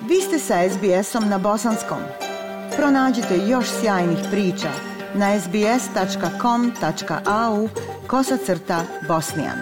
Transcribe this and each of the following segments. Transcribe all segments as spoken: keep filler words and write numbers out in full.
Vi ste sa es be esom na bosanskom. Pronađite još sjajnih priča na es be es tačka com tačka a u kosacrta bosnijan.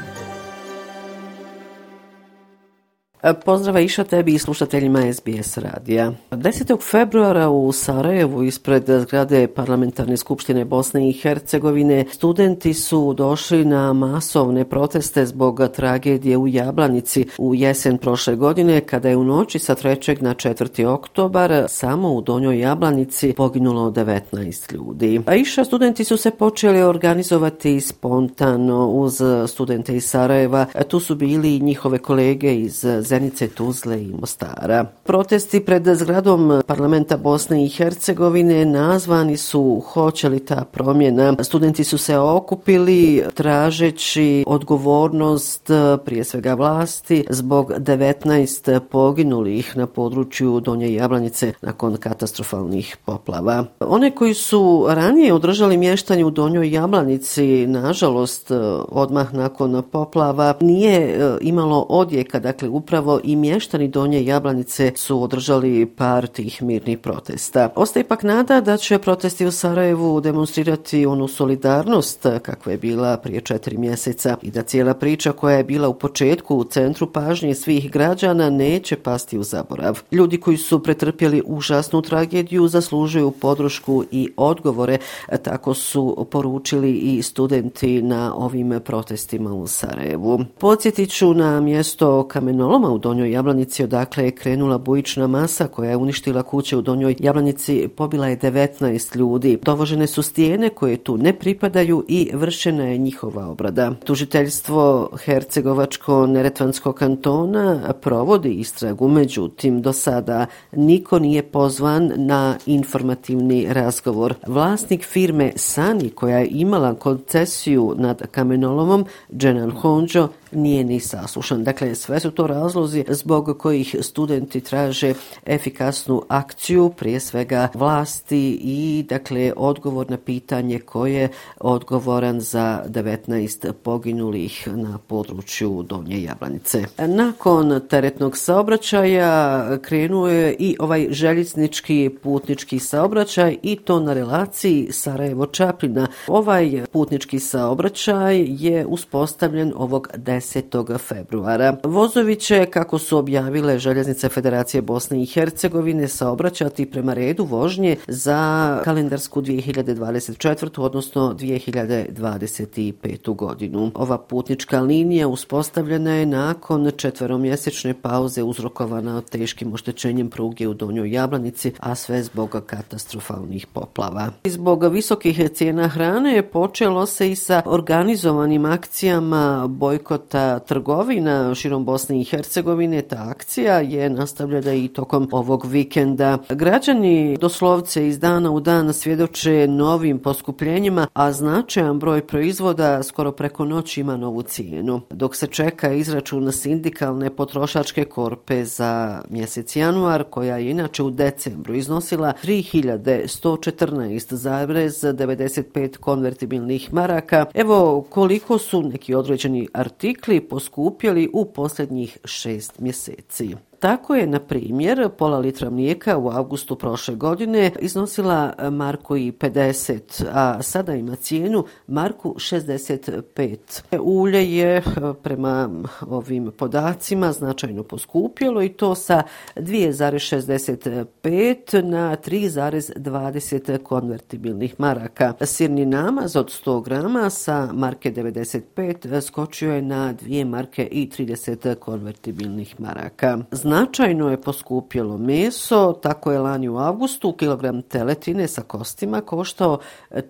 Pozdrav Iša tebi i slušateljima es be es radija. desetog februara u Sarajevu ispred zgrade Parlamentarne skupštine Bosne i Hercegovine studenti su došli na masovne proteste zbog tragedije u Jablanici u jesen prošle godine, kada je u noći sa trećeg na četvrti oktobar samo u Donjoj Jablanici poginulo devetnaest ljudi. A Iša, studenti su se počeli organizovati spontano uz studente iz Sarajeva. Tu su bili i njihove kolege iz Zenice, Tuzle i Mostara. Protesti pred zgradom Parlamenta Bosne i Hercegovine nazvani su Hoće li ta promjena. Studenti su se okupili tražeći odgovornost prije svega vlasti zbog devetnaest poginulih na području Donje Jablanice nakon katastrofalnih poplava. One koji su ranije održali mještanje u Donjoj Jablanici, nažalost odmah nakon poplava nije imalo odjeka, dakle upravo i mještani Donje Jablanice su održali par tih mirnih protesta. Ostaje ipak nada da će protesti u Sarajevu demonstrirati onu solidarnost kakva je bila prije četiri mjeseca i da cijela priča koja je bila u početku u centru pažnje svih građana neće pasti u zaborav. Ljudi koji su pretrpjeli užasnu tragediju zaslužuju podršku i odgovore, tako su poručili i studenti na ovim protestima u Sarajevu. Podsjetit ću na mjesto kamenoloma u Donjoj Jablanici, odakle je krenula bujična masa koja je uništila kuće u Donjoj Jablanici, pobila je devetnaest ljudi. Dovožene su stijene koje tu ne pripadaju i vršena je njihova obrada. Tužiteljstvo Hercegovačko-neretvanskog kantona provodi istragu, međutim do sada niko nije pozvan na informativni razgovor. Vlasnik firme Sani, koja je imala koncesiju nad kamenolomom, Dženan Honđo, nije ni saslušan. Dakle, sve su to razlozi zbog kojih studenti traže efikasnu akciju, prije svega vlasti i dakle odgovor na pitanje ko je odgovoran za devetnaest poginulih na području Donje Jablanice. Nakon teretnog saobraćaja krenuo je i ovaj željeznički putnički saobraćaj i to na relaciji Sarajevo-Čapljina. Ovaj putnički saobraćaj je uspostavljen ovog desetog februara. Vozovi će, kako su objavile Željeznice Federacije Bosne i Hercegovine, saobraćati prema redu vožnje za kalendarsku dvije hiljade dvadeset četvrtu. odnosno dvije hiljade dvadeset petu. godinu. Ova putnička linija uspostavljena je nakon četveromjesečne pauze uzrokovana teškim oštećenjem pruge u Donjoj Jablanici, a sve zbog katastrofalnih poplava. Zbog visokih cijena hrane počelo se i sa organizovanim akcijama bojkota trgovina širom Bosne i Hercegovine. Ta akcija je nastavljena i tokom ovog vikenda. Građani doslovce iz dana u dan svjedoče novim poskupljenjima, a značajan broj proizvoda skoro preko noći ima novu cijenu. Dok se čeka izračun sindikalne potrošačke korpe za mjesec januar, koja je inače u decembru iznosila tri hiljade sto četrnaest zarez devedeset pet konvertibilnih maraka, evo koliko su neki određeni artikli poskupjeli u posljednjih šest mjeseci. Tako je, na primjer, pola litra mlijeka u avgustu prošle godine iznosila marku i pedeset, a sada ima cijenu marku šezdeset pet. Ulje je prema ovim podacima značajno poskupjelo i to sa dvije zarez šezdeset pet na tri zarez dvadeset konvertibilnih maraka. Sirni namaz od sto grama sa marke devedeset pet skočio je na dvije marke i trideset konvertibilnih maraka. Značajno je poskupjelo meso, tako je lani u avgustu kilogram teletine sa kostima koštao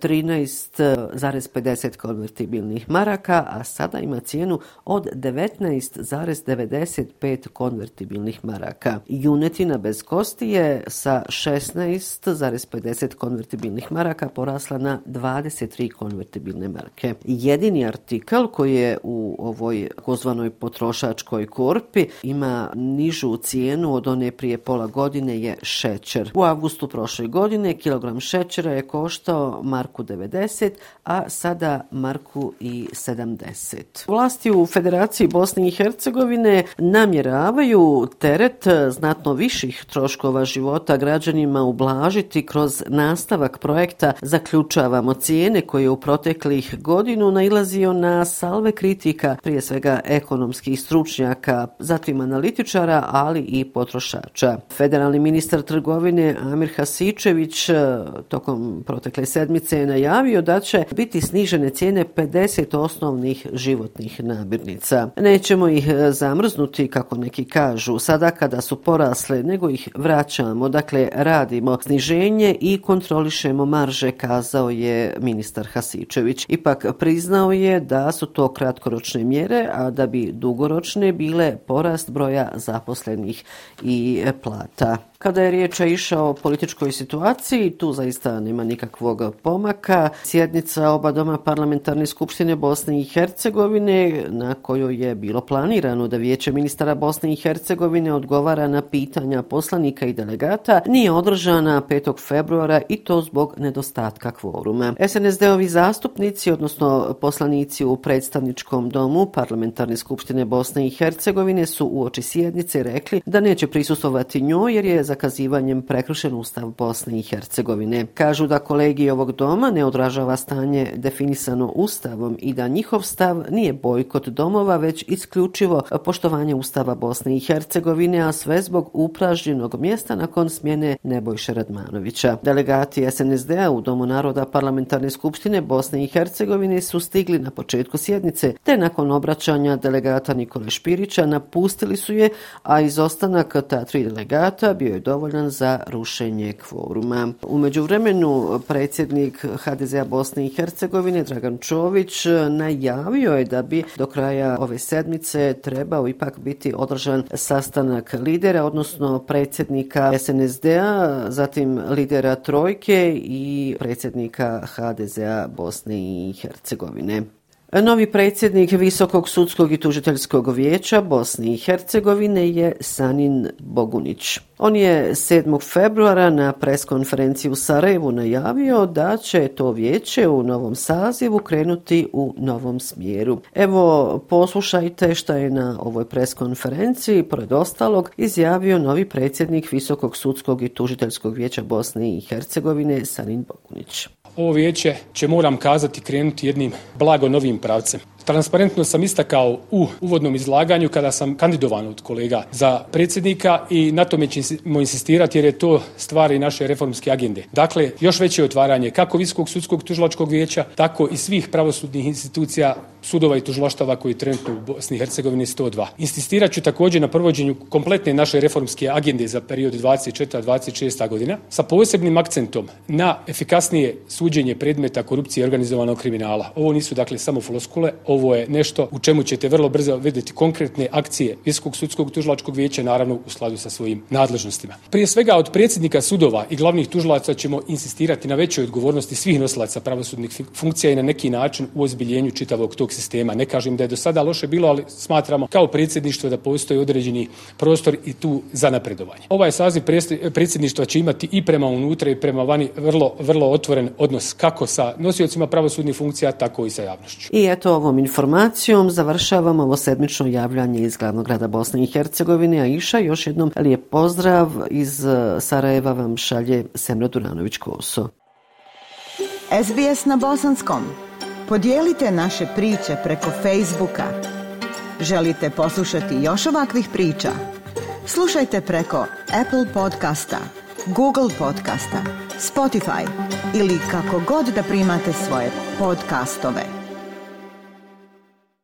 trinaest zarez pedeset konvertibilnih maraka, a sada ima cijenu od devetnaest zarez devedeset pet konvertibilnih maraka. Junetina bez kosti je sa šesnaest zarez pedeset konvertibilnih maraka porasla na dvadeset tri konvertibilne marke. Jedini artikl koji je u ovoj kozvanoj potrošačkoj korpi ima nižu nižu cijenu od one prije pola godine je šećer. U avgustu prošle godine kilogram šećera je koštao marku devedeset, a sada marku i sedamdeset. Vlasti u Federaciji Bosne i Hercegovine namjeravaju teret znatno viših troškova života građanima ublažiti kroz nastavak projekta Zaključavamo cijene, koji je u proteklih godinu nailazio na salve kritika, prije svega ekonomskih stručnjaka, zatim analitičara, ali i potrošača. Federalni ministar trgovine Amir Hasičević tokom protekle sedmice je najavio da će biti snižene cijene pedeset osnovnih životnih namirnica. Nećemo ih zamrznuti, kako neki kažu, sada kada su porasle, nego ih vraćamo. Dakle, radimo sniženje i kontrolišemo marže, kazao je ministar Hasičević. Ipak priznao je da su to kratkoročne mjere, a da bi dugoročne bile porast broja zaposlenih i plata. Kada je riječ išao o političkoj situaciji, tu zaista nema nikakvog pomaka. Sjednica oba doma parlamentarne skupštine Bosne i Hercegovine, na kojoj je bilo planirano da Vijeće ministara Bosne i Hercegovine odgovara na pitanja poslanika i delegata, nije održana petog februara i to zbog nedostatka kvoruma. es en es de-ovi zastupnici, odnosno poslanici u predstavničkom domu parlamentarne skupštine Bosne i Hercegovine, su uoči sjednice rekli da neće prisustvovati njoj jer je zakazivanjem prekršen Ustav Bosne i Hercegovine. Kažu da kolegij ovog doma ne odražava stanje definisano Ustavom i da njihov stav nije bojkot domova, već isključivo poštovanje Ustava Bosne i Hercegovine, a sve zbog upražnjenog mjesta nakon smjene Nebojše Radmanovića. Delegati es en es de-a u Domu naroda parlamentarne skupštine Bosne i Hercegovine su stigli na početku sjednice, te nakon obraćanja delegata Nikole Špirića napustili su je, a izostanak ta tri delegata bio je dovoljan za rušenje kvoruma. U međuvremenu predsjednik ha de ze-a Bosne i Hercegovine Dragan Čović najavio je da bi do kraja ove sedmice trebao ipak biti održan sastanak lidera, odnosno predsjednika es en es de-a, zatim lidera Trojke i predsjednika ha de ze-a Bosne i Hercegovine. Novi predsjednik Visokog sudskog i tužiteljskog vijeća Bosne i Hercegovine je Sanin Bogunić. On je sedmog februara na preskonferenciji u Sarajevu najavio da će to vijeće u novom sazivu krenuti u novom smjeru. Evo, poslušajte šta je na ovoj preskonferenciji, pored ostalog, izjavio novi predsjednik Visokog sudskog i tužiteljskog vijeća Bosne i Hercegovine Sanin Bogunić. Ovo vijeće će, moram kazati, krenuti jednim blago novim pravcem. Transparentno sam istakao u uvodnom izlaganju kada sam kandidovan od kolega za predsjednika i na tome ćemo insistirati jer je to stvar i naše reformske agende. Dakle, još veće otvaranje kako Visokog sudskog tužilačkog vijeća, tako i svih pravosudnih institucija, sudova i tužilaštava koji trenutno u Bosni i Hercegovini sto dva. Insistirat ću također na provođenju kompletne naše reformske agende za period dvadeset četvrta do dvadeset šesta godina sa posebnim akcentom na efikasnije suđenje predmeta korupcije i organizovanog kriminala. Ovo nisu dakle samo floskule, ovo je nešto u čemu ćete vrlo brzo vidjeti konkretne akcije Visokog sudskog tužilačkog vijeća, naravno u skladu sa svojim nadležnostima. Prije svega od predsjednika sudova i glavnih tužilaca ćemo insistirati na većoj odgovornosti svih nosilaca pravosudnih funkcija i na neki način u ozbiljenju čitavog tog sistema. Ne kažem da je do sada loše bilo, ali smatramo kao predsjedništvo da postoji određeni prostor i tu za napredovanje. Ovaj saziv predsjedništva će imati i prema unutra i prema vani vrlo, vrlo otvoren odnos kako sa nosiocima pravosudnih funkcija, tako i sa javnošću. I eto, ovom informacijom završavamo ovo sedmično javljanje iz glavnog grada Bosne i Hercegovine. Aisha, još jednom lijep pozdrav iz Sarajeva vam šalje Semra Duranović-Koso. es be es na bosanskom. Podijelite naše priče preko Facebooka. Želite poslušati još ovakvih priča? Slušajte preko Apple podcasta, Google podcasta, Spotify ili kako god da primate svoje podcastove.